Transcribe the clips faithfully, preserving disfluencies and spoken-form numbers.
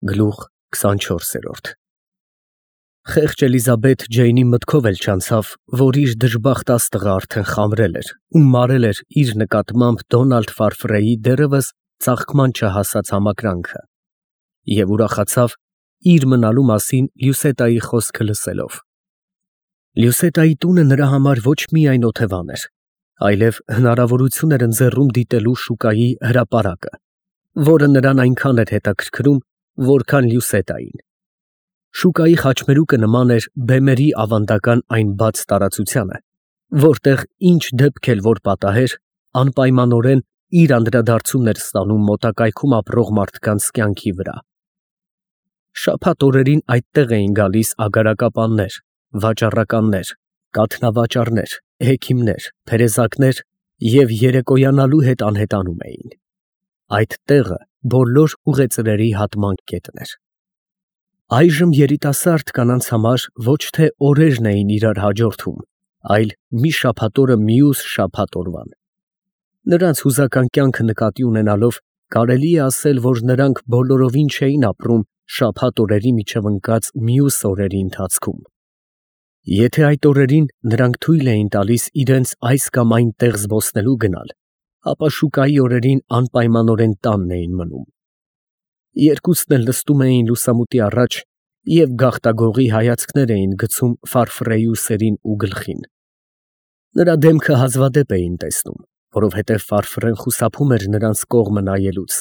Գլուխ քսանչորսերորդ Խեղճ Էլիզաբեթ Ջեյնի մտքով էլ չանցավ, որ իր դժբախտ աստղը արդեն խամրել էր ու մարել էր իր նկատմամբ Դոնալդ Ֆարֆրեի դեռևս ծաղկման չհասած համակրանքը, և ուրախացավ իր մնալու մասին Լյուսետայի խոսքը լսելով։ Լյուսետայի տունը նրա համար ոչ միայն օթևան էր, այլև հնարավորություն էր ընձեռում դիտելու շուկայի հրապարակը, որը նրան այնքան էր հետաքրքրում, որքան Լյուսետային։ Շուկայի խաչմերուկը նման էր բեմերի ավանդական այն բաց տարածությանը, որտեղ ինչ դեպք էլ որ պատահեր, անպայմանորեն իր անդրադարձումն էր ստանում մոտակայքում ապրող մարդկանց կյանքի վրա։ Շաբաթ օրերին այդտեղ էին գալիս ագարակապաններ, վաճառականներ, կաթնավաճառներ, հեքիմներ, թերեզակներ և երեկոյանալու հետ անհետանում էին։ Այդ տեղը բոլոր ուղեծրերի հատման կետն էր։ Այժմ երիտասարդ կանանց համար ոչ թե օրերն էին իրար հաջորդում, այլ մի շաբաթ օրը մյուս շաբաթ օրվան։ Նրանց հուզական կյանքը նկատի ունենալով, կարելի է ասել, որ նրանք բոլորովին չէին ապրում շաբաթ օրերի միջև ընկած մյուս օրերի ընթացքում։ Եթե այդ օրերին նրանք թույլ էին տալիս իրենց այս կամ այն տեղ զբոսնելու գնալ, ապա շուկայի օրերին անպայմանորեն տանն էին մնում։ Երկուսն էլ նստում էին լուսամուտի առաջ և գաղտագողի հայացքներ էին գցում Ֆարֆրեի ուսերին ու գլխին։ Նրա դեմքը հազվադեպ էին տեսնում, որովհետև Ֆարֆրեն խուսափում էր նրանց կողմը նայելուց,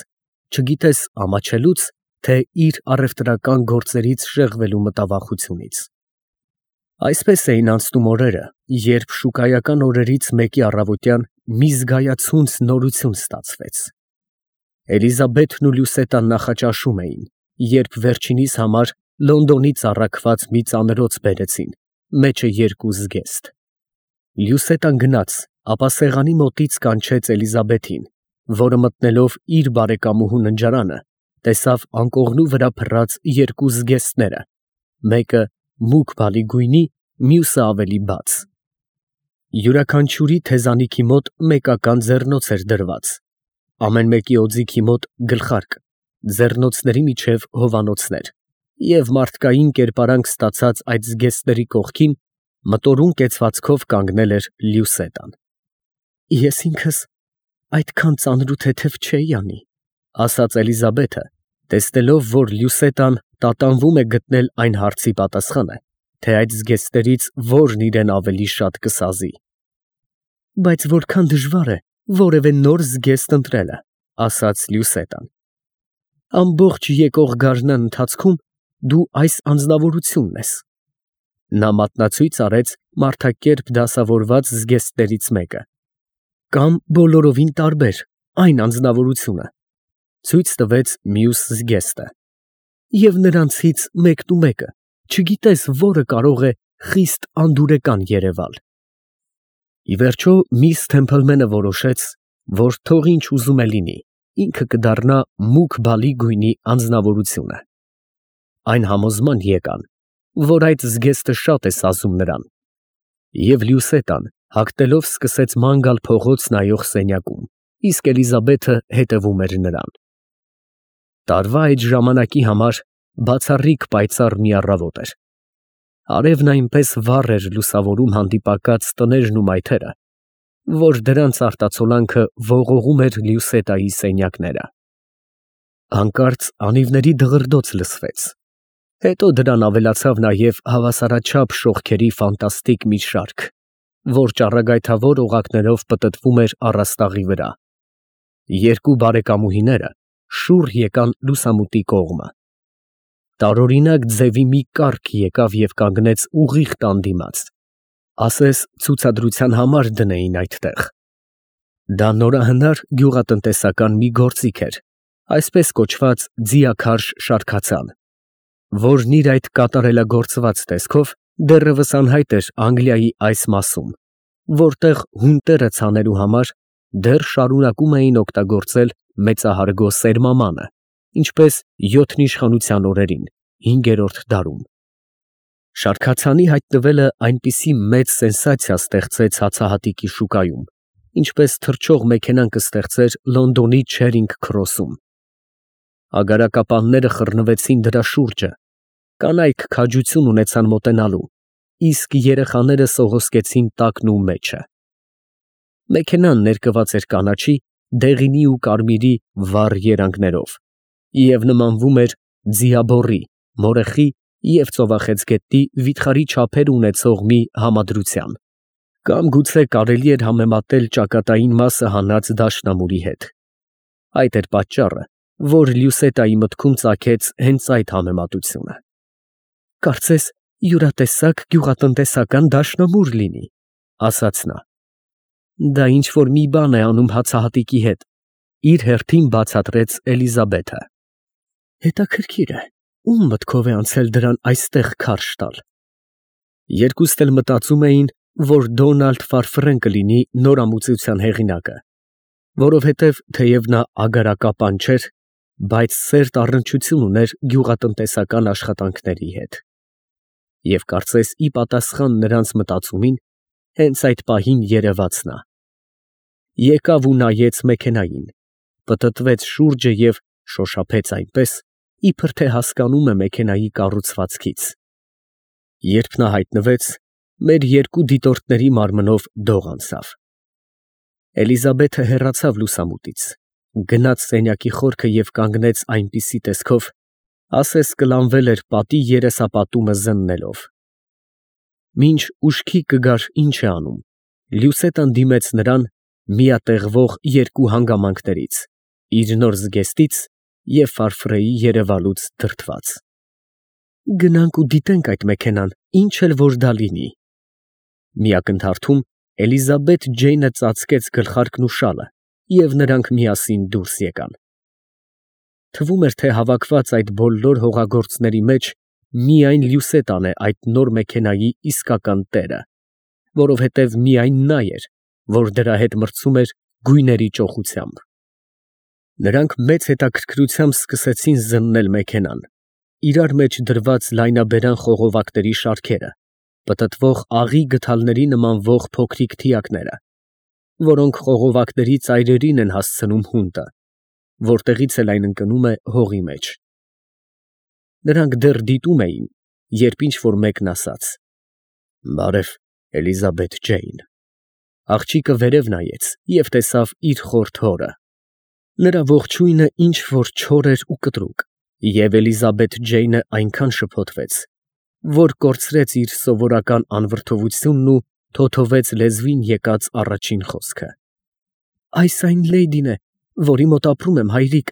չգիտես ամաչելուց, թե իր առևտրական գործերից շեղվելու մտավախությունից։ Այսպես էին անցնում օրերը, երբ շուկայական օրերից մեկի առավոտյան մի զգայացունց նորություն ստացվեց։ Էլիզաբեթն ու Լյուսետան նախաճաշում էին, երբ վերջինիս համար Լոնդոնից առաքված մի ծանրոց բերեցին, մեջը երկու զգեստ։ Լյուսետան գնաց, ապա սեղանի մոտից կանչեց Էլիզաբեթին, որը մտնելով իր բարեկամուհու ննջարանը, տեսավ անկողնու վրա փռած երկու զգեստները, մեկը մուգ բալի գույնի, մյուսը ավելի բաց։ Յուրաքանչյուրի թեզանիքի մոտ մեկական ձեռնոց էր դրված, ամեն մեկի օձիքի մոտ գլխարկ, ձեռնոցների միջև հովանոցներ, և մարդկային կերպարանք ստացած այդ զգեստների կողքին մտորում կեցվածքով կանգնել էր Լյուսետան։ Ես ինքս այդքան ծանր ու թեթև չէի անի, ասաց Էլիզաբեթը, տեսնելով, որ Լյուսետան տատանվում է գտնել այն հարցի պատասխանը, թե այդ զգեստներից որն իրեն ավելի շատ կսազի։ Բայց որքան դժվար է որևէ նոր զգեստ ընտրելը, ասաց Լյուսետան։ Ամբողջ եկող գարնան ընթացքում դու այս անձնավորությունն ես։ Նա մատնացույց արեց մարդակերպ դասավորված զգեստներից մեկը, կամ բոլորովին տարբեր, այն անձնավորությունը, ցույց տվեց մյուս զգեստը, և նրանցից մեկնումեկը չգիտես որը կարող է խիստ անդուրեկան երևալ։ Ի վերջո միս Թեմփլմենը որոշեց, որ թող ինչ ուզում է լինի, ինքը կդառնա մուգ բալի գույնի անձնավորությունը։ Այն համոզման եկան, որ այդ զգեստը շատ է սազում նրան, և Լյուսետան հագնելով սկսեց ման գալ փողոց նայող սենյակում, իսկ Էլիզաբեթը հետևում էր նրան։ Տարվա այդ ժամանակի համար բացառիկ պայծառ մի առավոտ էր։ Արևն այնպես վառ էր լուսավորում հանդիպակաց տներն ու մայթերը, որ դրանց արտացոլանքը ողողում էր Լյուսետայի սենյակները։ Հանկարծ անիվների դղրդոց լսվեց, հետո դրան ավելացավ նաև հավասարաչափ շողքերի ֆանտաստիկ մի շարք, որ ճառագայթավոր օղակներով պտտվում էր առաստաղի վրա։ Երկու բարեկամուհիները շուռ եկան լուսամուտի կողմը։ Տարօրինակ ձևի մի կառք եկավ և կանգնեց ուղիղ տան դիմաց, ասես ցուցադրության համար դնեին այդտեղ։ Դա նորահնար գյուղատնտեսական մի գործիք էր, այսպես կոչված ձիաքարշ շարքացան, որն իր այդ կատարելագործված տեսքով դեռևս անհայտ էր Անգլիայի այս մասում, որտեղ հունտերը ցանելու համար դեռ շարունակում էին օգտագործել մեծահարգո սերմամանը, ինչպես յոթն իշխանության օրերին, հինգերորդ դարում։ Շարքացանի հայտնվելը այնպիսի մեծ սենսացիա ստեղծեց հացահատիկի շուկայում, ինչպես թռչող մեքենան կստեղծեր Լոնդոնի Չերինգ Քրոսում։ Ագարակապանները խռնվեցին դրա շուրջը, կանայք քաջություն ունեցան մոտենալու, իսկ երեխաները սողոսկեցին տակն ու մեջը։ Մեքենան ներկված էր կանաչի, դեղինի ու կարմիրի վառ երանգներով և նմանվում էր ձիաբոռի, մորեխի և ծովախեցգետնի վիթխարի չափեր ունեցող մի համադրության, կամ գուցե կարելի էր համեմատել ճակատային մասը հանած դաշնամուրի հետ։ Այդ էր պատճառը, որ Լյուսետայի մտքում ծագեց հենց այդ համեմատությունը։ «Կարծես յուրատեսակ գյուղատնտեսական դաշնամուր լինի», ֊ ասաց նա։ «Դա ինչ֊որ մի բան է անում հացահատիկի հետ», ֊ իր հերթին բացատրեց Էլիզաբեթը։ «Հետաքրքիր է, ում մտքով է անցել դրան այստեղ քարշ տալ»։ Երկուստ էլ մտածում էին, որ Դոնալդ Ֆարֆրեն կլինի նորամուծության հեղինակը, որովհետև թեև նա ագարակապան չէր, բայց սերտ առնչություն ուներ գյուղատնտեսական աշխատանքների հետ։ Եվ կարծես ի պատասխան նրանց մտածումին, հենց այդ պահին երևաց նա։ Եկավ ու նայեց մեքենային, պտտվեց շուրջը և շոշափեց այնպես, իբր թե հասկանում է մեքենայի կառուցվածքից։ Երբ նա հայտնվեց, մեր երկու դիտորդների մարմնով դող անցավ։ Էլիզաբեթը հեռացավ լուսամուտից, գնաց սենյակի խորքը և կանգնեց այնպիսի տեսքով, ասես կլանվել էր պատի երեսապատումը զննելով։ Մինչ ուշքի կգար ինչ է անում, Լյուսետան դիմեց նրան միատեղվող երկու հանգամանքներից՝ իր նոր զգեստից և Ֆարֆրեի երևալուց դրդված։ «Գնանք ու դիտենք այդ մեքենան, ինչ էլ որ դա լինի»։ Մի ակնթարթում Էլիզաբեթ Ջեյնը ծածկեց գլխարկն ու շալը, և նրանք միասին դուրս եկան։ Թվում էր, թե հավաքված այդ բոլոր հողագործների մեջ միայն Լյուսետան է այդ նոր մեքենայի իսկական տերը, որովհետև միայն նա էր, որ դրա հետ մրցում էր գույների ճոխությամբ։ Նրանք մեծ հետաքրքրությամբ սկսեցին զննել մեքենան, իրար մեջ դրված լայնաբերան խողովակների շարքերը, պտտվող աղի գդալների նմանվող փոքրիկ թիակները, որոնք խողովակների ծայրերին են հասցնում հունտը, որտեղից էլ այն ընկնում է հողի մեջ։ Նրանք դեռ դիտում էին, երբ ինչ֊որ մեկն ասաց. «Բարև, Էլիզաբեթ Ջեյն»։ Աղջիկը վերև նայեց և տեսավ իր խորթ հորը։ Նրա ողջույնը ինչ֊որ չոր էր ու կտրուկ, և Էլիզաբեթ Ջեյնը այնքան շփոթվեց, որ կորցրեց իր սովորական անվրդովությունն ու թոթովեց լեզվին եկած առաջին խոսքը։ «Այս այն լեյդին է, որի մոտ ապրում եմ, հայրիկ,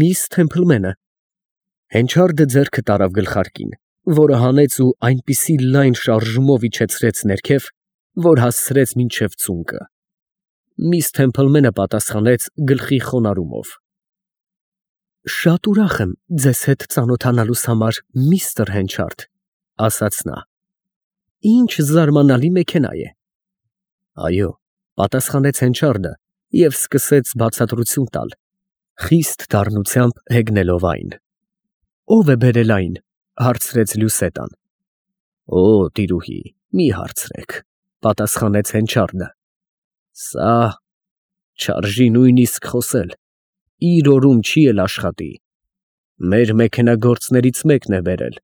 միս Թեմփլմենը»։ Հենչարդը ձեռքը տարավ գլխարկին, որը հանեց ու այնպիսի լայն շարժումով իջեցրեց ներքև, որ հասցրեց մինչև ծունկը։ Միս Թեմփլմենը պատասխանեց գլխի խոնարհումով. «Շատ ուրախ եմ ձեզ հետ ծանոթանալուս համար, միստր Հենչարդ», ֊ ասաց նա։ «Ինչ զարմանալի մեքենա է»։ «Այո», ֊ պատասխանեց Հենչարդը և սկսեց բացատրություն տալ, խիստ դառնությամբ հեգնելով այն։ «Ո՞վ է բերել այն», ֊ հարցրեց Լյուսետան։ «Օ, տիրուհի, մի հարցրեք», ֊ պատասխանեց Հենչարդը։ «Սա… չարժի նույնիսկ խոսել, իր օրում չի էլ աշխատի։ Մեր մեքենագործներից մեկն է բերել,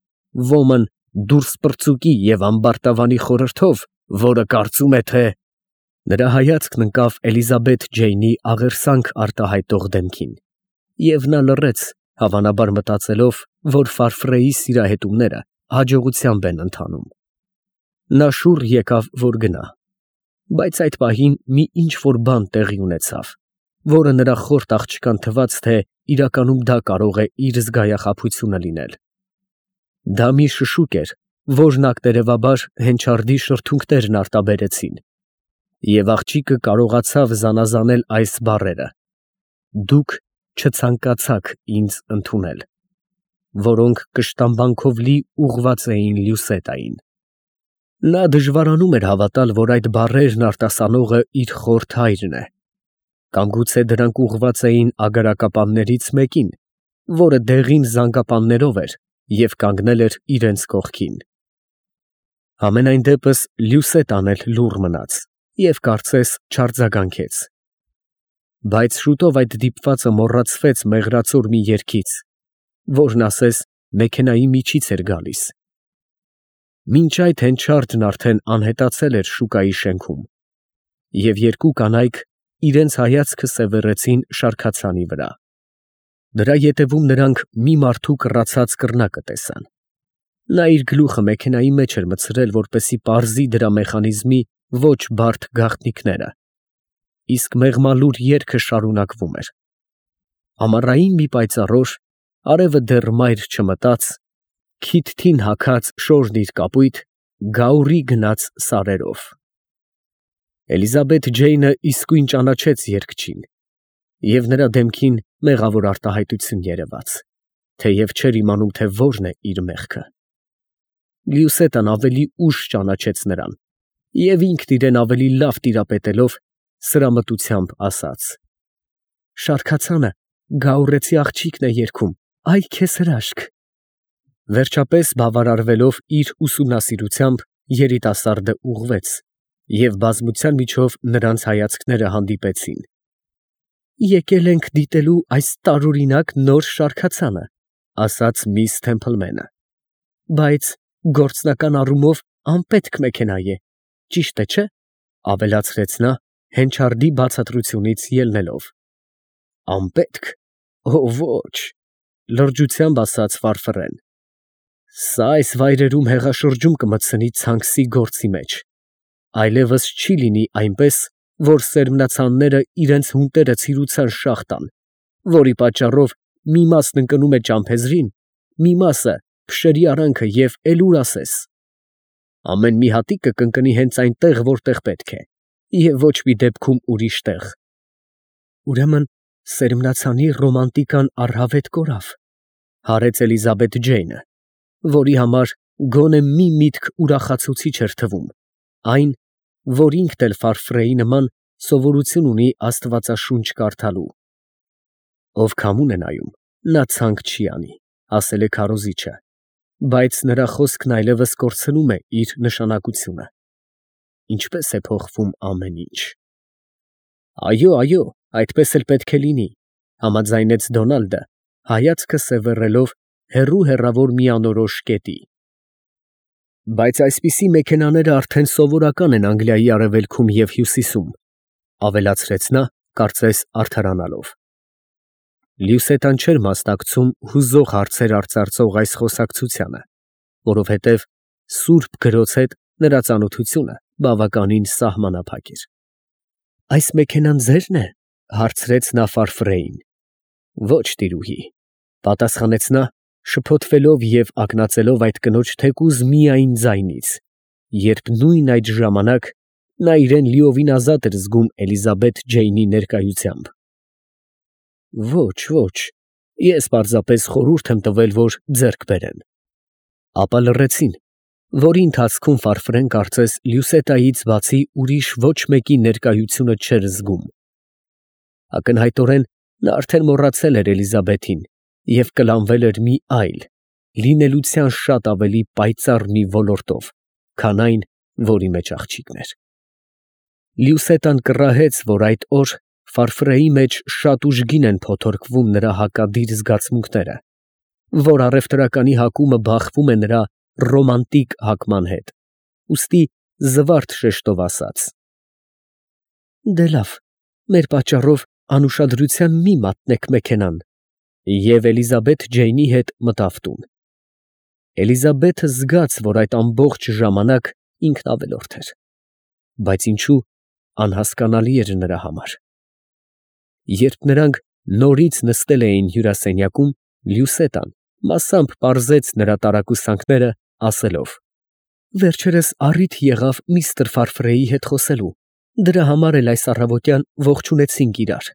ոմն դուրսպրծուկի և ամբարտավանի խորհրդով, որը կարծում է, թե…» Նրա հայացքն ընկավ Էլիզաբեթ Ջեյնի աղերսանք արտահայտող դեմքին, և նա լռեց, հավանաբար մտածելով, որ Ֆարֆրեի սիրահետումները հաջողությամբ են ընթանում։ Նա շուռ եկավ, որ գնա, բայց այդ պահին մի ինչ֊որ բան տեղի ունեցավ, որը նրա խորթ աղջկան թվաց, թե իրականում դա կարող է իր զգայախաբությունը լինել։ Դա մի շշուկ էր, որն ակտերևաբար Հենչարդի շրթունքներն արտաբերեցին, և աղջիկը կարողացավ զանազանել այս բառերը. «Դուք չցանկացաք ինձ ընդունել», որոնք կշտամբանքով լի ուղղված էին Լյուսետային։ Նա դժվարանում էր հավատալ, որ այդ բառերն արտասանողը իր խորթ հայրն է, կամ գուցե դրանք ուղղված էին ագարակապաններից մեկին, որը դեղին զանգապաններով էր և կանգնել էր իրենց կողքին։ Համենայն դեպս Լյուսետան էլ լուռ մնաց և կարծես չարձագանքեց։ Բայց շուտով այդ դիպվածը մոռացվեց մեղրացոր մի երգից, որն ասես մեքենայի միջից էր գալիս։ Մինչ այդ հենչարդն արդեն անհետացել էր շուկայի շենքում, և երկու կանայք իրենց հայացքը սևեռեցին շարքացանի վրա։ Դրա ետևում նրանք մի մարդու կռացած կռնակը տեսան։ Նա իր գլուխը մեքենայի մեջ էր մտցրել, որպեսզի պարզի դրա մեխանիզմի ոչ բարդ գաղտնիքները, իսկ մեղմալուր երգը շարունակվում էր։ Ամառային մի պայծառ օր, արևը դեռ մայր չմտած, քիթթին հագած շորն իր կապույտ, գաուռի գնաց սարերով։ Էլիզաբեթ Ջեյնը իսկույն ճանաչեց երգչին, և նրա դեմքին մեղավոր արտահայտություն երևաց, թեև չէր իմանում, թե որն է իր մեղքը։ Լյուսետան ավելի ուշ ճանաչեց նրան և ինքն իրեն ավելի լավ տիրապետելով, սրամտությամբ ասաց. «Շարքացանը գաուռեցի աղջիկն է երգում, այ քեզ հրաշք»։ Վերջապես բավարարվելով իր ուսումնասիրությամբ, երիտասարդը ուղղվեց, և բազմության միջով նրանց հայացքները հանդիպեցին։ «Եկել ենք դիտելու այս տարօրինակ նոր շարքացանը», ասաց միս Թեմփլմենը, «բայց գործնական առումով անպետք մեքենա է, ճիշտ է, չէ՞, ավելացրեց նա հենչարդի բացատրությունից ելնելով։ «Անպետք, օ ոչ», լրջությամբ ասաց ֆարֆռեն, «սա այս վայրերում հեղաշրջում կմտցնի ցանքսի գործի մեջ, այլևս չի լինի այնպես, որ սերմնացանները իրենց հունտերը ցիրուցան շաղ տան, որի պատճառով մի մասն ընկնում է ճամփեզրին, մի մասը փշերի արանքը և էլուր ասես։ Ամեն մի հատիկ կընկնի հենց այնտեղ, որտեղ պետք է, և ոչ մի դեպքում ուրիշ տեղ։ Ուրեմն սերմնացանի ռոմանտիկան առհավետ կորավ», հարեց Էլիզաբեթ Ջեյնը, որի համար գոնե մի միտք ուրախացուցիչ էր թվում, այն, որ ինքն էլ ֆարֆրեի նման սովորություն ունի աստվածաշունչ կարդալու։ «Ով քամուն է նայում, նա ցանք չի անի», ասել է քարոզիչը, բայց նրա խոսքն այլևս կորցնում է իր նշանակությունը։ Ինչպես է փոխվում ամեն ինչ։ «Այո, այո, այդպես էլ պետք է լինի», համաձայնեց Դոնալդը, հայացքը սևեռելով հեռու հեռավոր մի անորոշ կետի։ «Բայց այսպիսի մեքենաները արդեն սովորական են Անգլիայի արևելքում և հյուսիսում», ավելացրեց նա, կարծես արդարանալով։ Լյուսետան չէր մասնակցում հուզող հարցեր արծարծող այս խոսակցությանը, որովհետև սուրբ գրոց հետ նրա ծանոթությունը բավականին սահմանափակ էր։ «Այս մեքենան ձե՞րն է», հարցրեց նա ֆարֆրեին։ «Ոչ, տիրուհի», պատասխանեց նա, շփոթվելով և ակնածելով այդ կնոջ թեկուզ միայն ձայնից, երբ նույն այդ ժամանակ նա իրեն լիովին ազատ էր զգում Էլիզաբեթ Ջեյնի ներկայությամբ։ «Ոչ, ոչ, ես պարզապես խորհուրդ եմ տվել, որ ձեռք բերեն»։ Ապա լռեցին, որի ընթացքում ֆարֆրեն կարծես Լյուսետայից բացի ուրիշ ոչ մեկի ներկայությունը չէր զգում։ Ակնհայտորեն նա արդեն մոռացել էր Էլիզաբեթին և կլանվել էր մի այլ, լինելության շատ ավելի պայծառ մի ոլորտով, քան այն, որի մեջ աղջիկն էր։ Լյուսետան կռահեց, որ այդ օր ֆարֆրեի մեջ շատ ուժգին են փոթորկվում նրա հակադիր զգացմունքները, որ առևտրականի հակումը բախվում է նրա ռոմանտիկ հակման հետ, ուստի զվարթ շեշտով ասաց. «Դե լավ, մեր պատճառով անուշադրության մի մատնեք մեքենան», և Էլիզաբեթ Ջեյնի հետ մտավ տուն։ Էլիզաբեթը զգաց, որ այդ ամբողջ ժամանակ ինքն ավելորդ էր, բայց ինչու անհասկանալի էր նրա համար։ Երբ նրանք նորից նստել էին հյուրասենյակում, Լյուսետան մասամբ պարզեց նրա տարակուսանքները, ասելով. «Վերջերս առիթ եղավ միստր Ֆարֆրեի հետ խոսելու, դրա համար էլ այս առավոտյան ողջունեցինք իրար»։